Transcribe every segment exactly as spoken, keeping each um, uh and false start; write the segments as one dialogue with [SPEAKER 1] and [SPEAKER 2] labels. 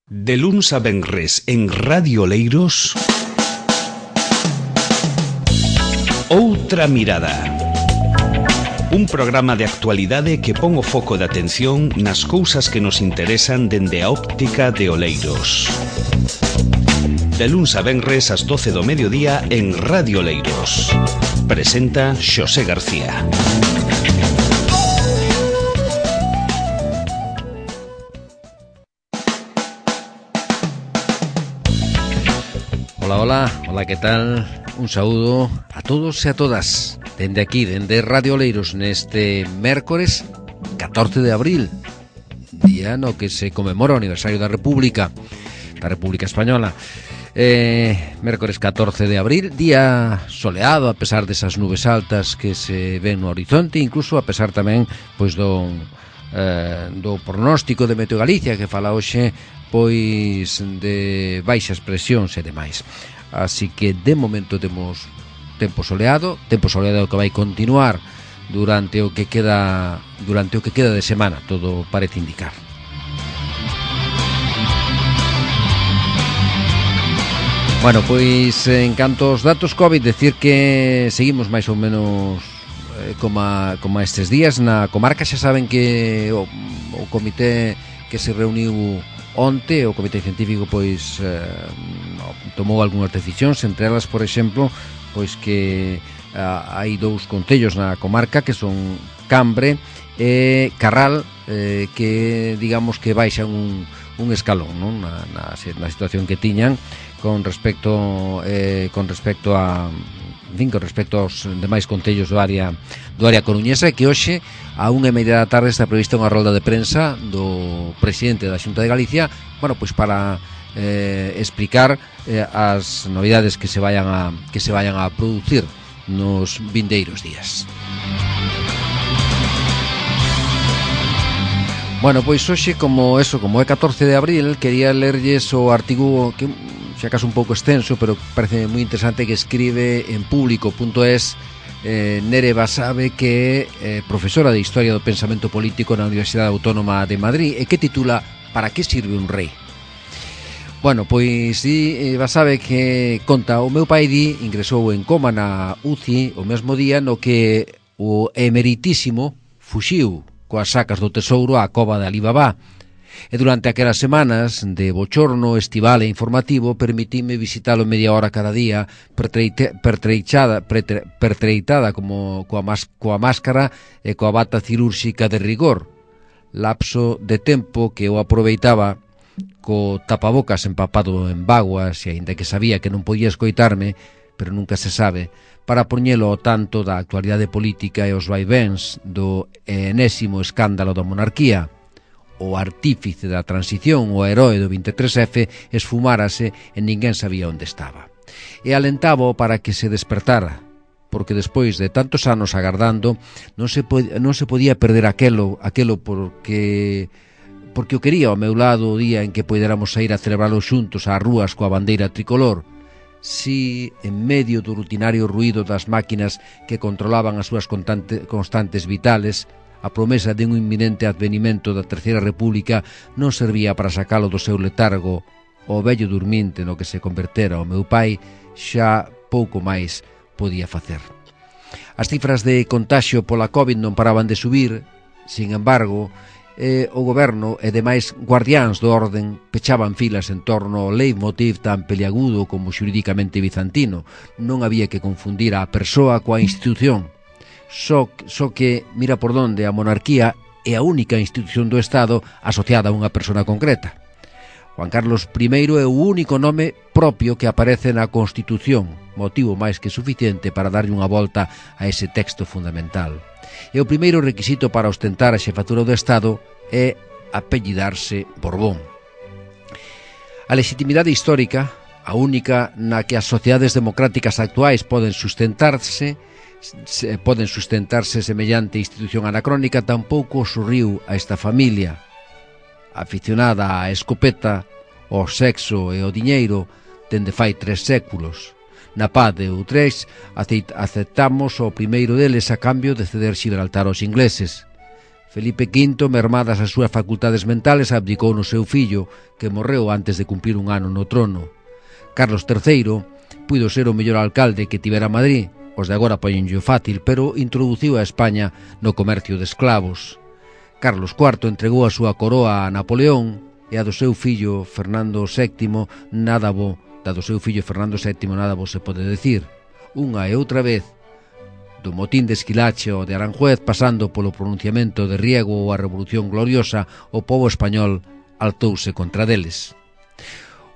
[SPEAKER 1] De luns a venres en Radio Oleiros, Outra Mirada. Un programa de actualidade que pon o foco de atención nas cousas que nos interesan dende a óptica de Oleiros. De luns a venres ás doce do mediodía en Radio Oleiros. Presenta Xosé García.
[SPEAKER 2] Hola, hola, hola, que tal? Un saúdo a todos e a todas dende aquí, dende Radio Oleiros, neste mércores catorce de abril, día no que se conmemora o aniversario da República da República Española. eh, Mércores catorce de abril, día soleado a pesar desas nubes altas que se ven no horizonte, incluso a pesar tamén pois do, eh, do pronóstico de Meteo Galicia que fala hoxe pois de baixas presións e demais. Así que de momento temos tempo soleado, tempo soleado que vai continuar durante o que queda durante o que queda de semana, todo parece indicar. Bueno, pois en canto aos datos COVID, decir que seguimos máis ou menos eh, como, a, como a estes días na comarca. Xa saben que o, o comité que se reuniu onte, o comité científico pois eh, tomou algunhas decisións, entre elas, por exemplo, pois que eh, hai dous concellos na comarca que son Cambre e Carral, eh, que digamos que baixan un, un escalón, non? Na, na, na situación que tiñan con respecto eh, con respecto a en fin, con respecto aos demais concellos do área do área coruñesa, que hoxe a unha e media da tarde está prevista unha rolda de prensa do presidente da Xunta de Galicia, bueno, pois para eh, explicar eh, as novidades que se vayan a que se vayan a producir nos vindeiros días. Bueno, pois hoxe, como eso, como é catorce de abril, quería lerlles o artigo que xa acaso un pouco extenso, pero parece moi interesante, que escribe en público punto es eh, Nere Basabe, que é eh, profesora de Historia do Pensamento Político na Universidade Autónoma de Madrid, e que titula "Para que sirve un rei?". Bueno, pois di eh, Basabe que conta: o meu pai di ingresou en coma na U C I o mesmo día no que o emeritísimo fuxiu coas sacas do tesouro á cova de Alibaba. E durante aquelas semanas de bochorno estival e informativo permitime visitalo media hora cada día, pertreite, pertreichada, pretre, pertreitada como coa, mas, coa máscara e coa bata cirúrxica de rigor. Lapso de tempo que eu aproveitaba co tapabocas empapado en vaguas, e aínda que sabía que non podía escoitarme, pero nunca se sabe, para poñelo ao tanto da actualidade política e os vaivéns do enésimo escándalo da monarquía. O artífice da transición, o heroe do vinte e tres efe, esfumárase e ninguén sabía onde estaba. E alentaba para que se despertara, porque despois de tantos anos agardando non se, pod- non se podía perder aquelo, aquelo porque porque o quería ao meu lado o día en que poderamos sair a celebralo xuntos ás rúas coa bandeira tricolor. Si, en medio do rutinario ruído das máquinas que controlaban as súas constante, constantes vitales, a promesa de un inminente advenimento da Terceira República non servía para sacalo do seu letargo. O vello durmiente no que se convertera o meu pai xa pouco máis podía facer. As cifras de contaxio pola COVID non paraban de subir. Sin embargo, eh, o goberno e demais guardiáns do orden pechaban filas en torno ao leitmotiv tan peliagudo como xuridicamente bizantino. Non había que confundir a persoa coa institución. Só, só que, mira por donde, a monarquía é a única institución do Estado asociada a unha persona concreta. Juan Carlos primeiro é o único nome propio que aparece na Constitución, motivo máis que suficiente para darlle unha volta a ese texto fundamental. E o primeiro requisito para ostentar a xefatura do Estado é apellidarse Borbón. A legitimidade histórica, a única na que as sociedades democráticas actuais poden sustentarse, Se poden sustentarse semellante institución anacrónica, tampouco sorriu a esta familia aficionada á escopeta, ao sexo e ao diñeiro dende fai tres séculos. Na paz de Utrecht aceptamos o primeiro deles a cambio de ceder Xibraltar aos ingleses. Felipe quinto, mermadas as súas facultades mentales, abdicou no seu fillo, que morreu antes de cumplir un ano no trono. Carlos terceiro puido ser o mellor alcalde que tivera Madrid, os de agora poñenllo fácil, pero introduciu a España no comercio de esclavos. Carlos cuarto entregou a súa coroa a Napoleón e a do seu fillo Fernando sétimo nada bo, da do seu fillo Fernando sétimo nada bo se pode decir. Unha e outra vez, do motín de Esquilache ou de Aranjuez, pasando polo pronunciamento de Riego ou a Revolución Gloriosa, o pobo español altouse contra deles.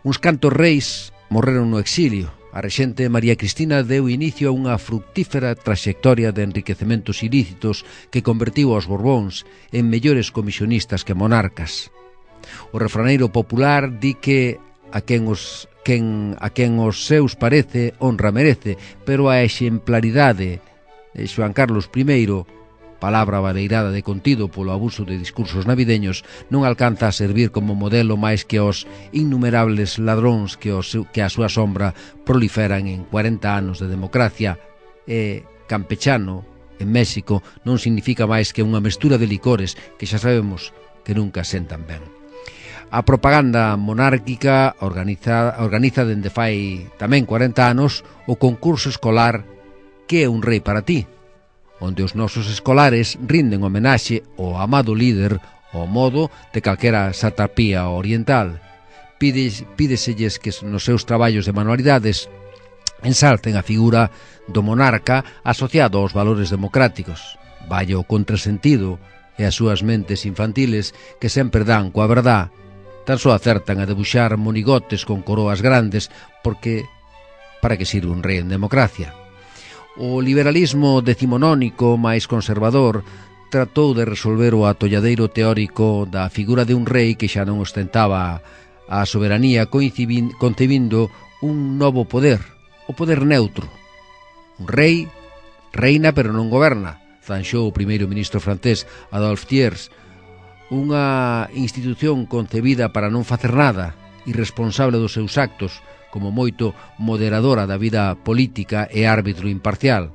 [SPEAKER 2] Uns cantos reis morreron no exilio. A rexente María Cristina deu inicio a unha fructífera traxectoria de enriquecementos ilícitos que convertiu aos Borbóns en mellores comisionistas que monarcas. O refraneiro popular di que a quen os, quen, a quen os seus parece honra merece, pero a exemplaridade de Xoán Carlos primeiro, palabra baleirada de contido polo abuso de discursos navideños, non alcanza a servir como modelo máis que os innumerables ladróns que, os, que a súa sombra proliferan en cuarenta anos de democracia. E campechano, en México, non significa máis que unha mestura de licores que xa sabemos que nunca sentan ben. A propaganda monárquica organiza, organiza dende fai tamén cuarenta anos o concurso escolar Que é un rei para ti?, onde os nosos escolares rinden homenaxe ao amado líder ao modo de calquera satrapía oriental. Pides, pídeselles que nos seus traballos de manualidades ensalten a figura do monarca asociado aos valores democráticos. Vaya o contrasentido e as súas mentes infantiles que sempre dan coa verdad, tan só acertan a debuxar monigotes con coroas grandes, porque para que sirve un rei en democracia? O liberalismo decimonónico máis conservador tratou de resolver o atolladeiro teórico da figura de un rei que xa non ostentaba a soberanía, concebindo un novo poder, o poder neutro. Un rei reina pero non goberna, zanxou o primeiro ministro francés Adolphe Thiers, unha institución concebida para non facer nada, irresponsable dos seus actos, como moito moderadora da vida política e árbitro imparcial,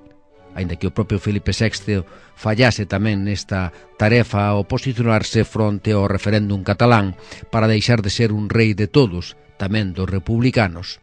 [SPEAKER 2] aínda que o propio Felipe sexto fallase tamén nesta tarefa ao posicionarse fronte ao referéndum catalán para deixar de ser un rei de todos, tamén dos republicanos.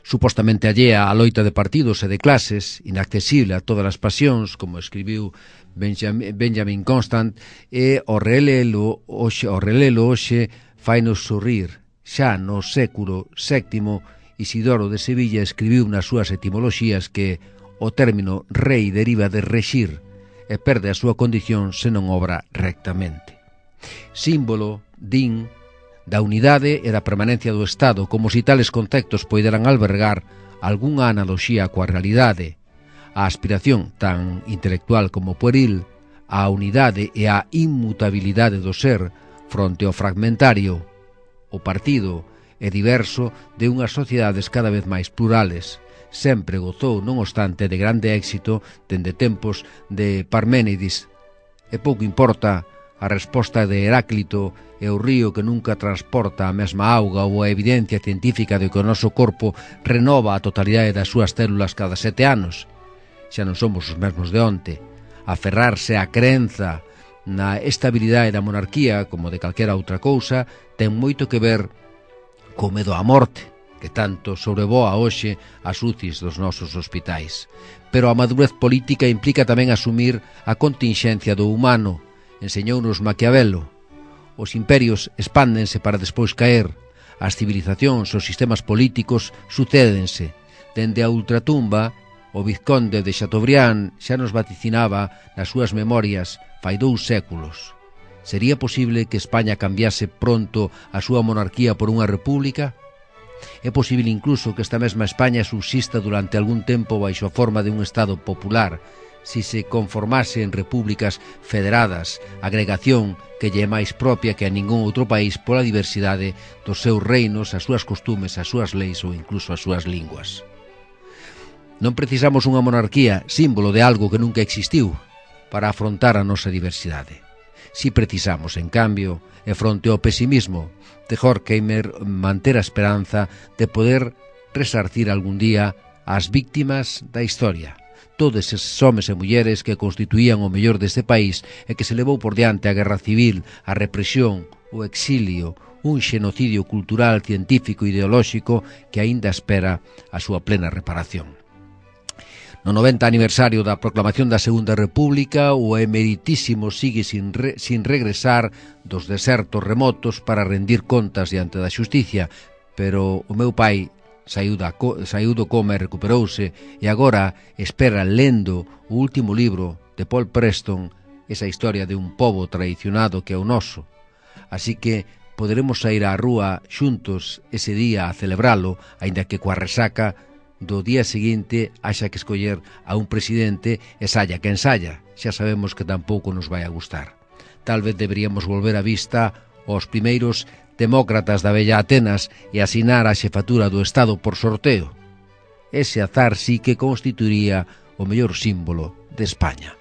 [SPEAKER 2] Supostamente allea á loita de partidos e de clases, inaccesible a todas as pasións, como escribiu Benjamin, Benjamin Constant, e o relelo hoxe, o relelo hoxe fainos sorrir. Xa no século sétimo, Isidoro de Sevilla escribiu nas súas etimoloxías que o término rei deriva de rexir e perde a súa condición se non obra rectamente. Símbolo, din, da unidade e da permanencia do Estado, como se tales conceptos poideran albergar algunha analoxía coa realidade. A aspiración, tan intelectual como pueril, á unidade e á inmutabilidade do ser fronte ao fragmentario, o partido é diverso de unhas sociedades cada vez máis plurales. Sempre gozou, non obstante, de grande éxito dende tempos de Parménides. E pouco importa a resposta de Heráclito e o río que nunca transporta a mesma auga ou a evidencia científica de que o noso corpo renova a totalidade das súas células cada sete anos. Xa non somos os mesmos de onte. Aferrarse á crenza na estabilidade da monarquía, como de calquera outra cousa, ten moito que ver co medo á morte, que tanto sobrevoa hoxe as U C Is dos nosos hospitais. Pero a madurez política implica tamén asumir a continxencia do humano, enseñounos Maquiavelo. Os imperios expándense para despois caer, as civilizacións, os sistemas políticos sucédense. Dende a ultratumba, o vizconde de Chateaubriand xa nos vaticinaba nas súas memorias fai dous séculos. Sería posible que España cambiase pronto a súa monarquía por unha república? É posible incluso que esta mesma España subsista durante algún tempo baixo a forma de un Estado popular, si se conformase en repúblicas federadas, agregación que lle é máis propia que a ningún outro país pola diversidade dos seus reinos, as súas costumes, as súas leis ou incluso as súas linguas. Non precisamos unha monarquía, símbolo de algo que nunca existiu, para afrontar a nosa diversidade. Si precisamos, en cambio, e fronte ao pesimismo de Horkheimer, manter a esperanza de poder resarcir algún día as víctimas da historia, todos eses homes e mulleres que constituían o mellor deste país e que se levou por diante a guerra civil, a represión, o exilio, un xenocidio cultural, científico e ideolóxico que aínda espera a súa plena reparación. No noventa aniversario da proclamación da Segunda República, o emeritísimo sigue sin, re, sin regresar dos desertos remotos para rendir contas diante da xusticia, pero o meu pai saiu, da, saiu do coma e recuperouse, e agora espera lendo o último libro de Paul Preston, esa historia de un pobo traicionado que é o noso. Así que poderemos sair á rúa xuntos ese día a celebralo, aínda que coa resaca do día seguinte haxa que escoller a un presidente e saia quen saia. Xa sabemos que tampouco nos vai a gustar. Tal vez deberíamos volver a vista aos primeiros demócratas da bella Atenas e asinar a xefatura do Estado por sorteo. Ese azar sí que constituiría o mellor símbolo de España.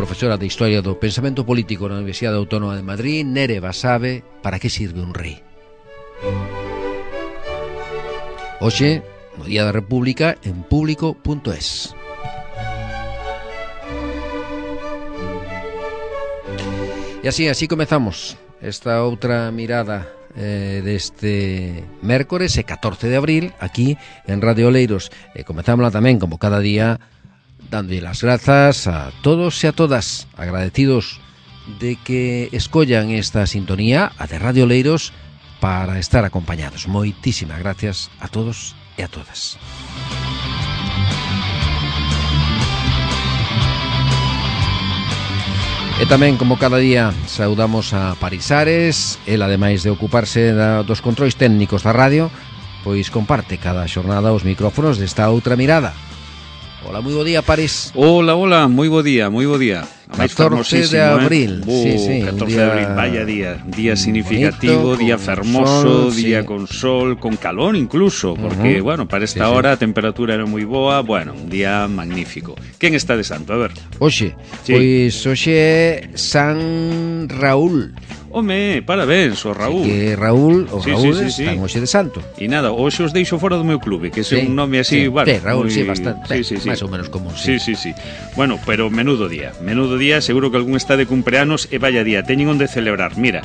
[SPEAKER 2] Profesora de Historia do Pensamento Político na Universidade Autónoma de Madrid, Nere Basabe, para que sirve un rei? Hoxe, no Día da República, en público punto es. E así, así comezamos esta outra mirada eh, deste mércores e catorce de abril aquí en Radio Oleiros. E comezámosla tamén, como cada día, dándolle las grazas a todos e a todas, agradecidos de que escollan esta sintonía, a de Radio Oleiros, para estar acompañados. Moitísimas gracias a todos e a todas. E tamén, como cada día, saudamos a Parisares. El, ademais de ocuparse da, dos controis técnicos da radio, pois comparte cada xornada os micrófonos desta outra mirada. Hola, moi bo día, París.
[SPEAKER 3] Hola, hola, moi bo día, moi bo día.
[SPEAKER 2] catorce de abril,
[SPEAKER 3] eh?
[SPEAKER 2] sí, sí,
[SPEAKER 3] catorce de abril, vaya día, día significativo, bonito, día fermoso, sol, día sí. con sol, con calor incluso, porque, uh-huh. bueno, para esta sí, hora sí. a temperatura era moi boa, bueno, un día magnífico. Quen está de santo? A ver.
[SPEAKER 2] Oxe, sí. pois hoxe é San Raúl.
[SPEAKER 3] Home, parabéns, o Raúl.
[SPEAKER 2] Sí, que Raúl, o
[SPEAKER 3] sí,
[SPEAKER 2] Raúl
[SPEAKER 3] sí, sí,
[SPEAKER 2] están
[SPEAKER 3] sí.
[SPEAKER 2] hoxe de santo.
[SPEAKER 3] E nada, hoxe os deixo fora do meu clube, que é sí, un nome así,
[SPEAKER 2] sí,
[SPEAKER 3] bueno,
[SPEAKER 2] sí, Raúl,
[SPEAKER 3] muy...
[SPEAKER 2] sí, bastante,
[SPEAKER 3] sí, sí, sí.
[SPEAKER 2] máis ou menos común, sí.
[SPEAKER 3] Sí, sí, sí. Bueno, pero menudo día, menudo día, seguro que algún está de cumpleanos e vaya día, teñen onde celebrar. Mira,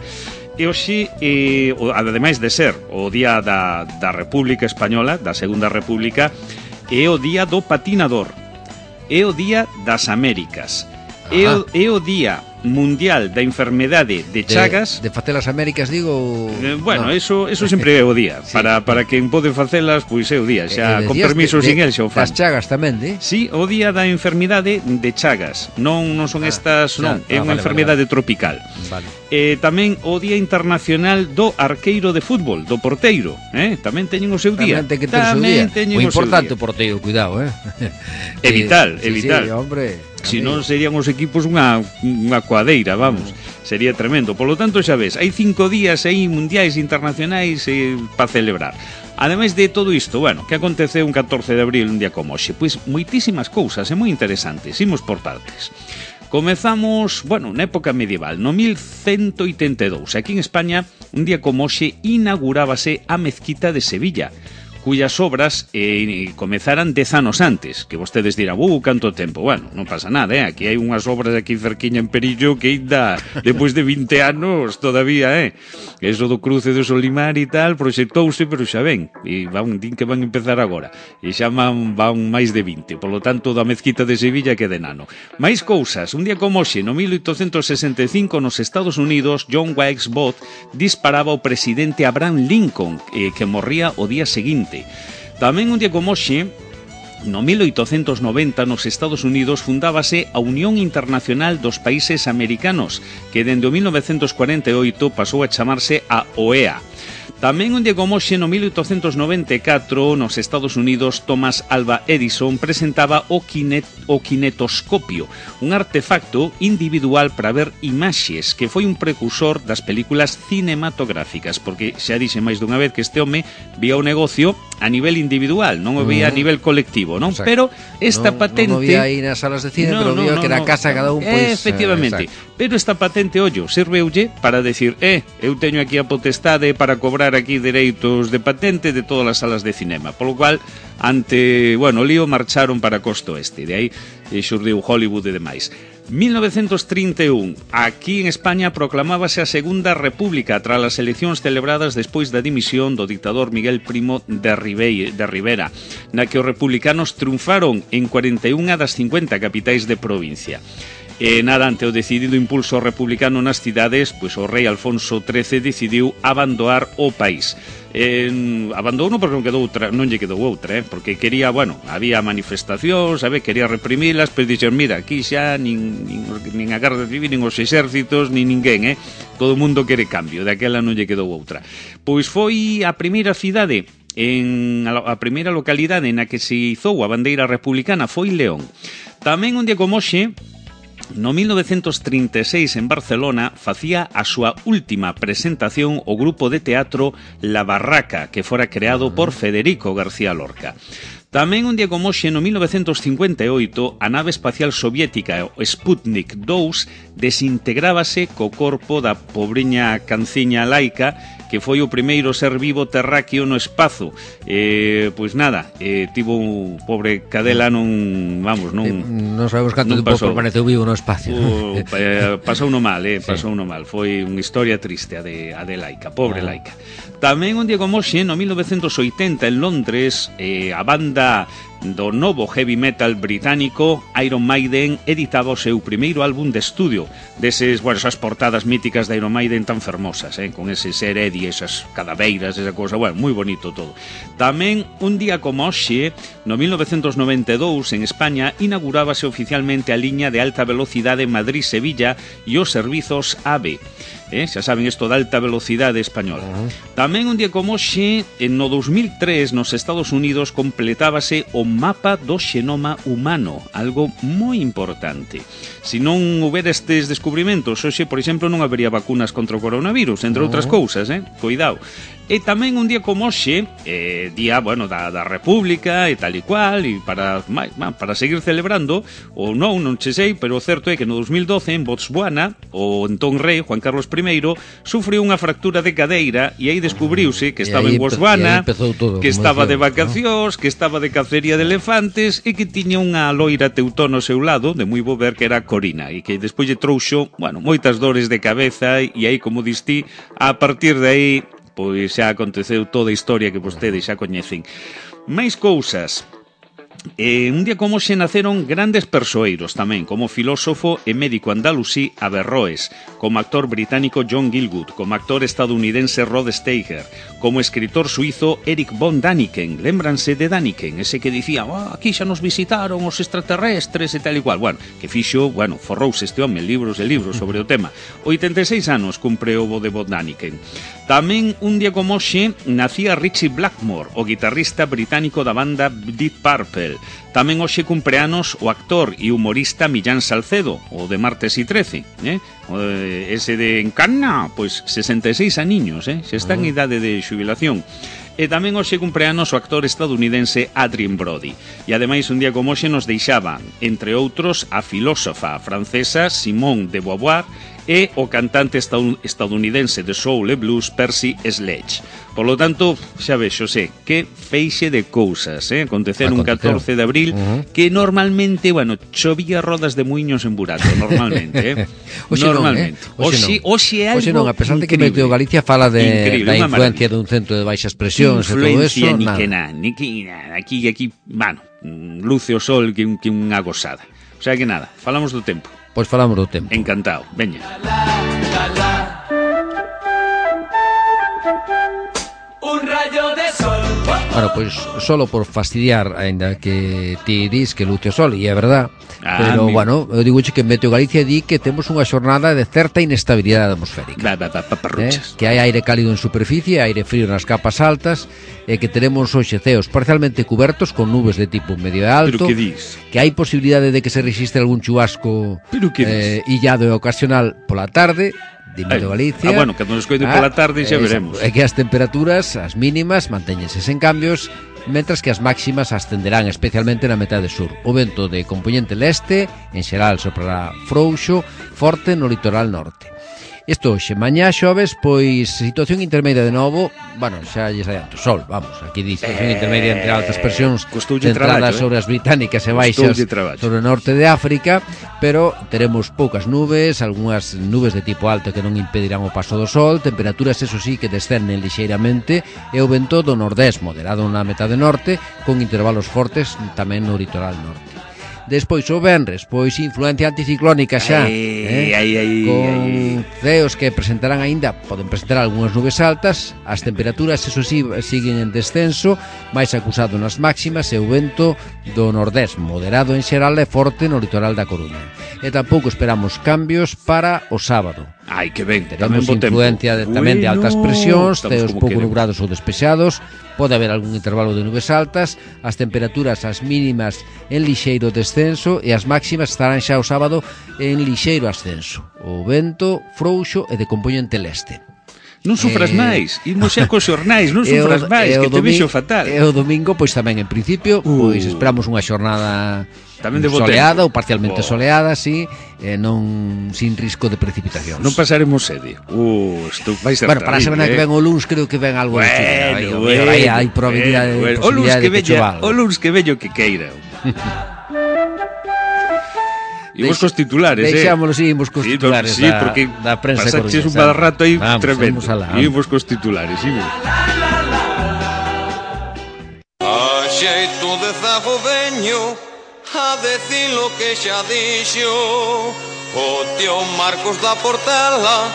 [SPEAKER 3] e hoxe, eh, ademais de ser o día da, da República Española, da Segunda República, é o día do patinador, é o día das Américas, é o, é o día mundial da enfermedade de Chagas.
[SPEAKER 2] De, de facer as Américas, digo...
[SPEAKER 3] Eh, bueno,
[SPEAKER 2] no.
[SPEAKER 3] eso, eso sempre é o día. Sí. Para, para quen pode facelas, pois é o día. Xa, eh, con permiso, sin el, xa o fan.
[SPEAKER 2] Das Chagas tamén, di?
[SPEAKER 3] Sí, o día da enfermidade de Chagas. Non, non son ah, estas, non, xa, é unha ah, vale, enfermidade vale, vale. tropical.
[SPEAKER 2] Vale.
[SPEAKER 3] Eh, tamén o Día Internacional do Arqueiro de Fútbol, do porteiro, eh? Tamén teñen o seu día.
[SPEAKER 2] Tamén ten que ter o seu día.
[SPEAKER 3] O
[SPEAKER 2] importante o porteiro, cuidado, eh?
[SPEAKER 3] É vital, é
[SPEAKER 2] sí,
[SPEAKER 3] vital.
[SPEAKER 2] Sí, hombre.
[SPEAKER 3] Si non serían os equipos unha, unha coadeira, vamos, sería tremendo. Por lo tanto, xa ves, hai cinco días aí mundiais internacionais eh, para celebrar. Ademais de todo isto, bueno, que aconteceu un catorce de abril, un día como hoxe? Pois moitísimas cousas, é moi interesantes, imos por partes. Comezamos, bueno, na época medieval, no mil cento oitenta e dous. Aquí en España, un día como hoxe, inaugurábase a mezquita de Sevilla, cuyas obras eh, comezaran dez anos antes, que vostedes dirán, uh, canto tempo. Bueno, non pasa nada, eh? Aquí hai unhas obras aquí cerquiña en Perillo que ainda, depois de vinte anos, todavía, eh? Eso do cruce do Solimar e tal, proxectouse, pero xa ven, e van, din que van empezar agora, e xa van, van máis de vinte, por lo tanto, da mezquita de Sevilla que de nano. Mais cousas, un día como hoxe, no mil oitocentos sesenta e cinco, nos Estados Unidos, John Wilkes Booth disparaba ao presidente Abraham Lincoln, eh, que morría o día seguinte. Tamén un día como hoxe, no mil oitocentos noventa, nos Estados Unidos fundábase a Unión Internacional dos Países Americanos, que dende o mil novecentos cuarenta e oito pasou a chamarse a O E A. Tamén un día como hoxe, no mil oitocentos noventa e catro, nos Estados Unidos, Thomas Alva Edison presentaba o, kinet, o kinetoscopio, un artefacto individual para ver imaxes, que foi un precursor das películas cinematográficas, porque xa dixe máis dunha vez que este home vía o negocio a nivel individual, non o vía uh-huh. a nivel colectivo, non?
[SPEAKER 2] Exacto.
[SPEAKER 3] Pero esta
[SPEAKER 2] non,
[SPEAKER 3] patente...
[SPEAKER 2] Non o vía aí nas salas de cine, no, pero no, vía no, que era no, casa cada un, pois...
[SPEAKER 3] Efectivamente,
[SPEAKER 2] eh,
[SPEAKER 3] pero esta patente, ollo, serveulle para decir, eh, eu teño aquí a potestade para cobrar aquí dereitos de patente de todas as salas de cinema, polo cual, ante, bueno, o lío marcharon para costo este, de aí e xurdiu Hollywood e demais. mil novecientos trinta e un, aquí en España proclamábase a Segunda República tras as eleccións celebradas despois da dimisión do dictador Miguel Primo de, Ribei, de Rivera, na que os republicanos triunfaron en cuarenta e unha das cincuenta capitais de provincia. E nada, ante o decidido impulso republicano nas cidades, pois o rei Alfonso trece decidiu abandonar o país. Eh, abandonou porque non quedou outra, non lle quedou outra, eh, porque quería, bueno, había manifestacións, sabe, quería reprimilas, pero dixen, mira, aquí xa nin, nin, nin a Garda Civil, nin os exércitos, nin ninguén, eh, todo o mundo quere cambio, daquela non lle quedou outra. Pois foi a primeira cidade, en a, a primeira localidade na que se izou a bandeira republicana foi León. Tamén un día como hoxe, no mil novecientos trinta e seis en Barcelona facía a súa última presentación o grupo de teatro La Barraca, que fora creado por Federico García Lorca. Tamén un día como hoxe, no mil novecientos cincuenta e oito, a nave espacial soviética o Sputnik dous desintegrábase co corpo da pobriña canciña laica que foi o primeiro ser vivo terráqueo no espazo. Eh, pois nada, eh, tivo un pobre cadela non, vamos, non... Eh,
[SPEAKER 2] non sabemos canto tempo permaneceu vivo no espacio.
[SPEAKER 3] O, eh, pasou no mal, eh, pasou no mal. Foi unha historia triste a de, a de laica, pobre ah. laica. Tamén un día como hoxe, no mil novecientos oitenta en Londres, eh, a banda do novo heavy metal británico Iron Maiden editaba o seu primeiro álbum de estudio, deses, bueno, esas portadas míticas de Iron Maiden tan fermosas, eh, con ese ser Eddie, esas cadaveiras, esa cosa, bueno, moi bonito todo. Tamén un día como hoxe, no mil novecientos noventa e dous en España inaugurábase oficialmente a liña de alta velocidade Madrid-Sevilla e os servizos AVE. Eh, xa saben isto da alta velocidade española. Uh-huh. Tamén un día como hoxe, no dos mil tres, nos Estados Unidos completábase o mapa do xenoma humano, algo moi importante. Se non houbera estes descubrimentos, hoxe, por exemplo, non habería vacunas contra o coronavirus, entre uh-huh. outras cousas, eh? Cuidado. E tamén un día como hoxe, eh, día, bueno, da, da República e tal e cual, e para, para seguir celebrando, ou non, non che sei, pero o certo é que no dos mil doce en Botswana, o entón rei Juan Carlos primeiro sufriu unha fractura de cadeira e aí descubriuse que estaba en Botswana, todo, que estaba de vacacións, ¿no? Que estaba de cacería de elefantes e que tiña unha loira teutón ao seu lado, de moi bo ver, que era Corina, e que despois lle trouxo, bueno, moitas dores de cabeza, e aí, como distí, a partir de aí pois xa aconteceu toda a historia que vostedes xa coñecen. Máis cousas. Eh, un día como hoxe naceron grandes persoeiros tamén, como filósofo e médico andalusí Averroes, como actor británico John Gielgud, como actor estadounidense Rod Steiger, como escritor suizo Erich von Däniken. Lémbranse de Däniken, ese que dicía, oh, aquí xa nos visitaron os extraterrestres e tal e cual. Bueno, que fixo, bueno, forrouse este home libros e libros sobre o tema. oitenta e seis anos cumpre o de von Däniken. Tamén un día como hoxe nacía Richie Blackmore, o guitarrista británico da banda Deep Purple. Tamén hoxe cumpleanos o actor e humorista Millán Salcedo, o de Martes y trece, eh? Ese de Encarna, pois sesenta e seis aniños, eh? Se está en idade de xubilación. E tamén hoxe cumpleanos o actor estadounidense Adrien Brody. E ademais un día como hoxe nos deixaban, entre outros, a filósofa francesa Simone de Beauvoir e o cantante estadounidense de soul e blues Percy Sledge. Por lo tanto, xa vexo, sé, que feixe de cousas, eh? Acontecer un catorce de abril, uh-huh. que normalmente, bueno, chovía rodas de muiños en Burato, normalmente, eh?
[SPEAKER 2] Oxe
[SPEAKER 3] normalmente.
[SPEAKER 2] Non, eh? Oxe,
[SPEAKER 3] oxe,
[SPEAKER 2] non. Oxe non, a pesar de que Meteo Galicia fala de increíble, da influencia dun centro de baixas presións e todo eso,
[SPEAKER 3] ni
[SPEAKER 2] nada.
[SPEAKER 3] que nada, ni que nada. Aquí, aquí, bueno, luce o sol que, que unha gozada. O sea que nada, falamos do tempo.
[SPEAKER 2] Pois falamos do tempo.
[SPEAKER 3] Encantado, veña.
[SPEAKER 4] Un rayo de sol.
[SPEAKER 2] Bueno, pois solo por fastidiar, aínda que ti dis que luce o sol, e é verdad, ah, pero, mi... bueno, eu digo que Meteo Galicia di que temos unha xornada de certa inestabilidade atmosférica.
[SPEAKER 3] Ba, ba, ba,
[SPEAKER 2] eh? Que hai aire cálido en superficie, aire frío nas capas altas, e que teremos hoxe ceos parcialmente cubertos con nubes de tipo medio e alto,
[SPEAKER 3] pero que dis?
[SPEAKER 2] Que hai posibilidade de que se resiste algún chubasco
[SPEAKER 3] pero que dis?
[SPEAKER 2] Eh, illado e ocasional pola tarde, Dimido Galicia.
[SPEAKER 3] Ah, bueno, que nos coide pola tarde xa veremos.
[SPEAKER 2] É que as temperaturas, as mínimas, mantéñense sen cambios, mentras que as máximas ascenderán especialmente na metade sur. O vento de compoñente leste, en xeral soprará frouxo, forte no litoral norte. Isto hoxe, mañá xoves, pois situación intermedia de novo. Bueno, xa lles adianto, sol, vamos. Aquí dice situación eh, intermedia entre altas presións centradas eh? sobre as británicas e baixas sobre o norte de África, pero teremos poucas nubes, algunhas nubes de tipo alto que non impedirán o paso do sol, temperaturas, eso sí, que descenden lixeiramente, e o vento do nordés moderado na metade norte, con intervalos fortes tamén no litoral norte. Despois o venres, pois influencia anticiclónica xa,
[SPEAKER 3] ay,
[SPEAKER 2] eh?
[SPEAKER 3] ay, ay,
[SPEAKER 2] con
[SPEAKER 3] ay.
[SPEAKER 2] ceos que presentarán aínda, poden presentar algunhas nubes altas, as temperaturas, eso sí, siguen en descenso, máis acusado nas máximas, e o vento do nordés moderado en xeral e forte no litoral da Coruña. E tampouco esperamos cambios para o sábado.
[SPEAKER 3] Ai, que ben,
[SPEAKER 2] teremos influencia de, tamén de altas presións, ceos pouco nubrados ou despexados, pode haber algún intervalo de nubes altas, as temperaturas as mínimas en lixeiro descenso e as máximas estarán xa o sábado en lixeiro ascenso. O vento frouxo e de compoñente leste.
[SPEAKER 3] Non sufras eh, máis, imos xa cos xornais, non sufras máis, que te vexo fatal.
[SPEAKER 2] E o domingo, pois tamén en principio, uh. pois esperamos unha xornada tamén de soleada ou parcialmente oh. soleada, sí, eh, non sin risco de precipitacións.
[SPEAKER 3] Non pasaremos sede. Uh, isto vai ser
[SPEAKER 2] bueno, para a semana eh? que ven o luns creo que ven algo
[SPEAKER 3] bueno,
[SPEAKER 2] de
[SPEAKER 3] bueno, bueno,
[SPEAKER 2] aí hai probabilidade
[SPEAKER 3] bueno,
[SPEAKER 2] bueno.
[SPEAKER 3] o luns que,
[SPEAKER 2] que
[SPEAKER 3] veña, o luns que veño que queira. Imos cos titulares, eh?
[SPEAKER 2] Deixámoslo, sí, imos cos
[SPEAKER 3] sí,
[SPEAKER 2] titulares
[SPEAKER 3] sí,
[SPEAKER 2] da,
[SPEAKER 3] porque
[SPEAKER 2] da prensa coruñesa.
[SPEAKER 3] Pasaches un mal rato aí
[SPEAKER 2] vamos,
[SPEAKER 3] tremendo.
[SPEAKER 2] Imos
[SPEAKER 3] cos titulares, imos.
[SPEAKER 5] A xeito de zago veño a decir lo que xa dixo o tío Marcos da Portela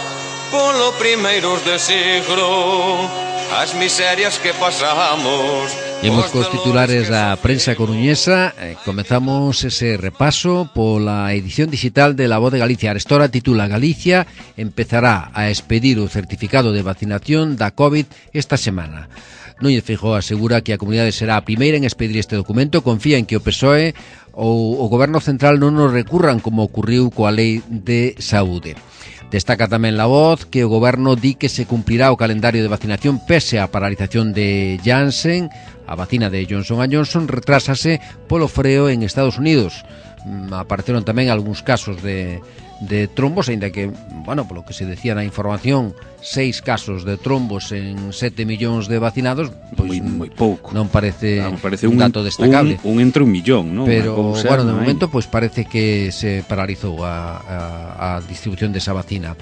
[SPEAKER 5] polo primeiros de siglo, as miserias que pasamos.
[SPEAKER 2] Imos cos titulares da prensa coruñesa. eh, Comezamos ese repaso pola edición digital de La Voz de Galicia. Arestora titula: Galicia empezará a expedir o certificado de vacinación da COVID esta semana. Núñez Feijóo asegura que a comunidade será a primeira en expedir este documento. Confía en que o P S O E ou o Goberno Central non nos recurran como ocurriu coa Lei de Saúde. Destaca tamén La Voz que o Goberno di que se cumplirá o calendario de vacinación pese a paralización de Janssen. A vacina de Johnson and Johnson retrásase polo freo en Estados Unidos. Apareceron tamén algúns casos de, de trombos, aínda que, bueno, polo que se decía na información, seis casos de trombos en sete millóns de vacinados, pois
[SPEAKER 3] moi, moi pouco.
[SPEAKER 2] Non parece,
[SPEAKER 3] claro, parece
[SPEAKER 2] un, un dato destacable.
[SPEAKER 3] Un, un entre un millón, non?
[SPEAKER 2] Pero, bueno, de momento, pois parece que se paralizou a, a, a distribución desa vacina.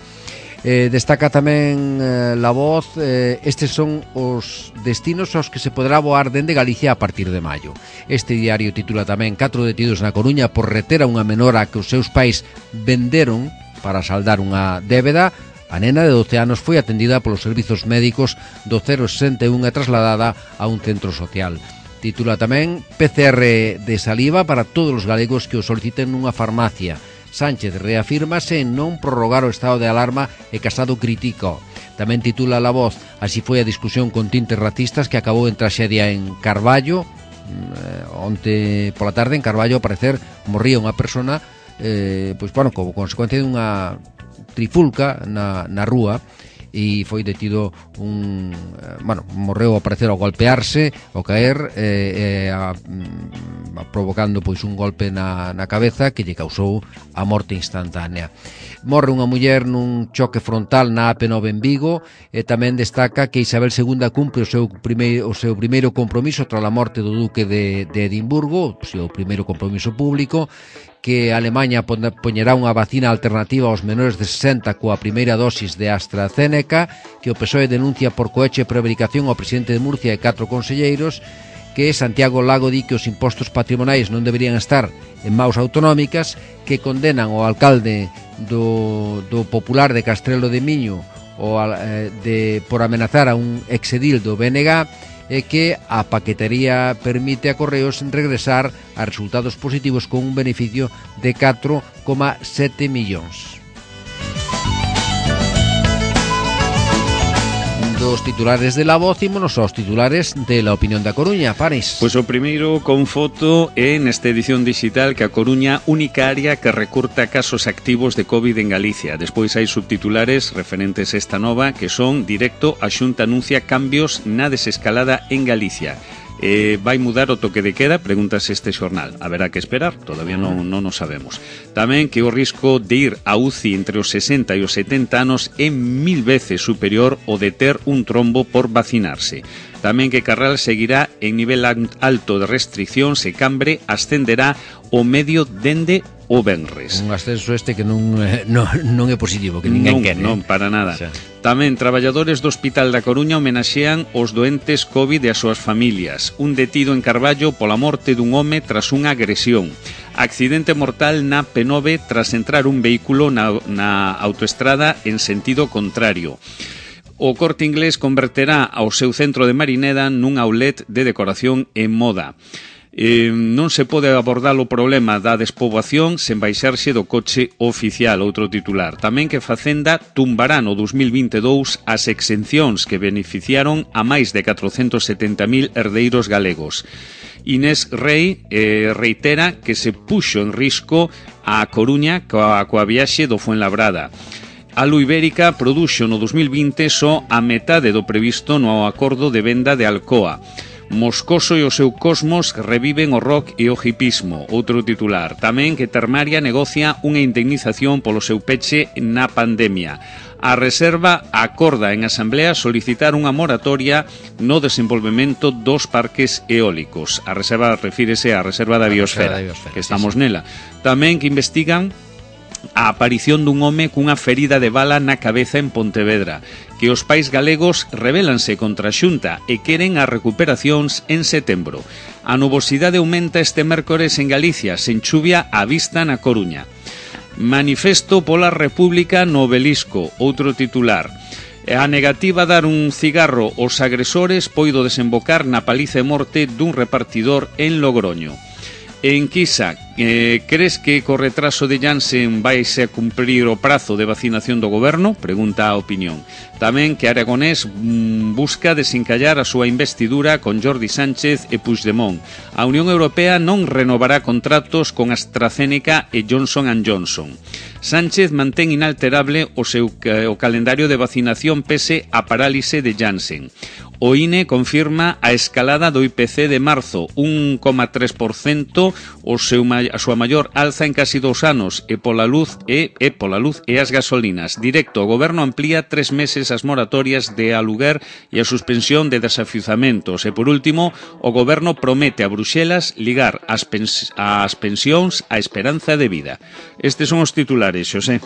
[SPEAKER 2] Eh, destaca tamén eh, La Voz, eh, estes son os destinos aos que se poderá voar dende Galicia a partir de maio. Este diario titula tamén: catro detidos na Coruña por reter a unha menora que os seus pais venderon para saldar unha débeda. A nena de doce anos foi atendida polos servizos médicos do cero sesenta e un e trasladada a un centro social. Titula tamén: P C R de saliva para todos os galegos que o soliciten nunha farmacia. Sánchez reafírmase en non prorrogar o estado de alarma e Casado critica. Tamén titula La Voz: así foi a discusión con tintes racistas que acabou en traxedia en Carballo. Eh, onte pola tarde en Carballo, ao parecer, morría unha persona eh, pois, bueno, como consecuencia dunha trifulca na, na rúa, e foi detido un, bueno, morreu ao parecer ao golpearse, ao caer, eh, eh, a, a, provocando pois un golpe na, na cabeza que lle causou a morte instantánea. Morre unha muller nun choque frontal na A P nove en Vigo, e tamén destaca que Isabel segunda cumpre o seu primeiro, o seu primeiro compromiso tras a morte do duque de, de Edimburgo, o seu primeiro compromiso público, que Alemanha poñerá unha vacina alternativa aos menores de sesenta coa primeira dosis de AstraZeneca, que o P S O E denuncia por cohecho e prevaricación ao presidente de Murcia e catro conselleiros, que Santiago Lago di que os impostos patrimoniais non deberían estar en maus autonómicas, que condenan o alcalde do, do Popular de Castrelo de Miño o, eh, de, por amenazar a un exedil do B N G, e que a paquetería permite a Correos regresar a resultados positivos con un beneficio de catro coma sete millóns. dos titulares de La Voz, ímonos aos titulares de La Opinión da Coruña. Paris.
[SPEAKER 3] Pois o primeiro con foto é nesta edición digital que a Coruña, única área que recurta casos activos de COVID en Galicia. Despois hai subtitulares referentes a esta nova que son: directo, a Xunta anuncia cambios na desescalada en Galicia. Eh, vai mudar o toque de queda? Pregúntase este xornal. Haberá que esperar, todavía non, non o sabemos. Tamén que o risco de ir a U C I entre os sesenta e os setenta anos é mil veces superior ao de ter un trombo por vacinarse. Tamén que Carral seguirá en nivel alto de restriccións e Cambre ascenderá o medio dende o venres.
[SPEAKER 2] Un ascenso este que non, eh, non, non é positivo, que ninguén
[SPEAKER 3] non,
[SPEAKER 2] quere.
[SPEAKER 3] Non, para nada.
[SPEAKER 2] O sea.
[SPEAKER 3] Tamén traballadores do Hospital da Coruña homenaxean os doentes COVID e as súas familias. Un detido en Carballo pola morte dun home tras unha agresión. Accidente mortal na P nove tras entrar un vehículo na, na autoestrada en sentido contrario. O Corte Inglés converterá ao seu centro de Marineda nun outlet de decoración e moda. Eh, non se pode abordar o problema da despoboación sen baixarse do coche oficial, outro titular. Tamén que Facenda tumbará no dos mil vinte e dous as exencións que beneficiaron a máis de catrocentos setenta mil herdeiros galegos. Inés Rei eh, reitera que se puxo en risco a Coruña coa, coa viaxe do Fuenlabrada. A Alu Ibérica produxo no dos mil vinte só a metade do previsto no acordo de venda de Alcoa. Moscoso e o seu Cosmos reviven o rock e o hipismo, outro titular. Tamén que Termaria negocia unha indemnización polo seu peche na pandemia. A Reserva acorda en asamblea solicitar unha moratoria no desenvolvemento dos parques eólicos. A Reserva refírese á Reserva da Biosfera, que estamos nela. Tamén que investigan a aparición dun home cunha ferida de bala na cabeza en Pontevedra, que os pais galegos rebelanse contra a Xunta e queren as recuperacións en setembro. A nubosidade aumenta este mércores en Galicia, sen chuvia á vista na Coruña. Manifesto pola República no Obelisco, outro titular. A negativa a dar un cigarro aos agresores poido desembocar na paliza e morte dun repartidor en Logroño. En Quisa, eh, crees que co retraso de Janssen vaise a cumprir o prazo de vacinación do goberno? Pregunta a Opinión. Tamén que Aragonés mm, busca desencallar a súa investidura con Jordi Sánchez e Puigdemont. A Unión Europea non renovará contratos con AstraZeneca e Johnson and Johnson. Sánchez mantén inalterable o seu o calendario de vacinación pese a parálise de Janssen. O I N E confirma a escalada do I P C de marzo, un coma tres por cento, o seu, a súa maior alza en casi dous anos, e pola luz e, e pola luz e as gasolinas. Directo, o goberno amplía tres meses as moratorias de aluguer e a suspensión de desafiuzamentos. E por último, o goberno promete a Bruxelas ligar as, pens as pensións á esperanza de vida. Estes son os titulares, Xosé.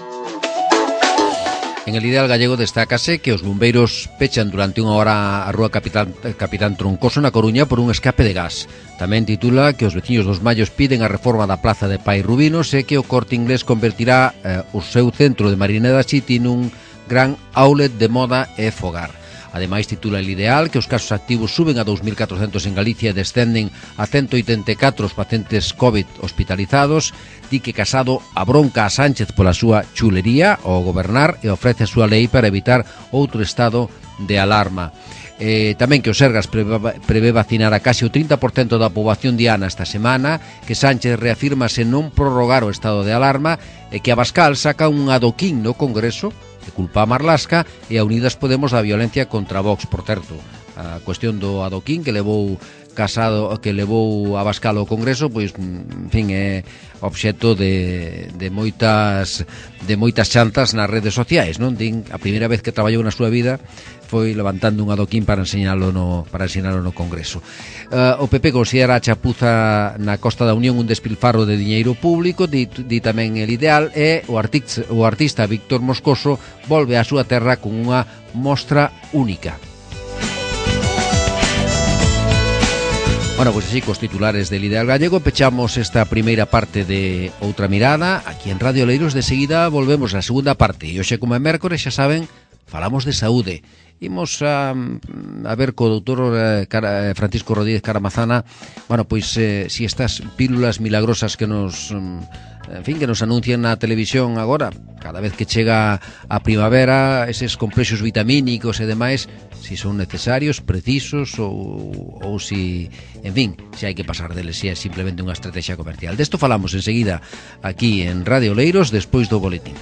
[SPEAKER 2] En el Ideal Gallego destácase que os bombeiros pechan durante unha hora a rúa Capitán, Capitán Troncoso na Coruña por un escape de gas. Tamén titula que os veciños dos Mallos piden a reforma da Plaza de Pai Rubinos e que o Corte Inglés convertirá eh, o seu centro de Marineda City nun gran outlet de moda e fogar. Ademais, titula El Ideal que os casos activos suben a dous mil catrocentos en Galicia e descenden a ciento oitenta e catro os pacientes COVID hospitalizados. Di que Casado abronca a Sánchez pola súa chulería ao gobernar e ofrece a súa lei para evitar outro estado de alarma. Eh, tamén que o Sergas prevé, prevé vacinar a case o trinta por cento da poboación diana esta semana, que Sánchez reafirma se non prorrogar o estado de alarma e que Abascal saca un adoquín no Congreso que culpa a Marlaska e a Unidas Podemos da violencia contra Vox. Por certo, a cuestión do adoquín que levou Casado, que levou Abascal ao Congreso, pois, en fin, é obxecto de, de moitas de moitas chantas nas redes sociais, non? Din, a primeira vez que traballou na súa vida foi levantando un adoquín para enseñalo no, para enseñalo no Congreso. Uh, o P P considera a chapuza na Costa da Unión un despilfarro de diñeiro público, di, di tamén El Ideal, e o artista, o artista Víctor Moscoso volve á súa terra con unha mostra única. Bueno, pois pues así, cos titulares del Ideal Gallego pechamos esta primeira parte de Outra Mirada aquí en Radio Oleiros. De seguida volvemos á segunda parte e hoxe, como é mércores, xa saben, falamos de saúde Imos a, a ver co doutor eh, Cara, Francisco Rodríguez Caramazana, bueno, pois eh, si estas pílulas milagrosas que nos... en fin, que nos anuncian na televisión agora, cada vez que chega a primavera, eses complexos vitamínicos e demais, si son necesarios, precisos ou, ou si, en fin, si hai que pasar deles, si é simplemente unha estrategia comercial. Desto falamos enseguida aquí en Radio Oleiros, despois do boletín.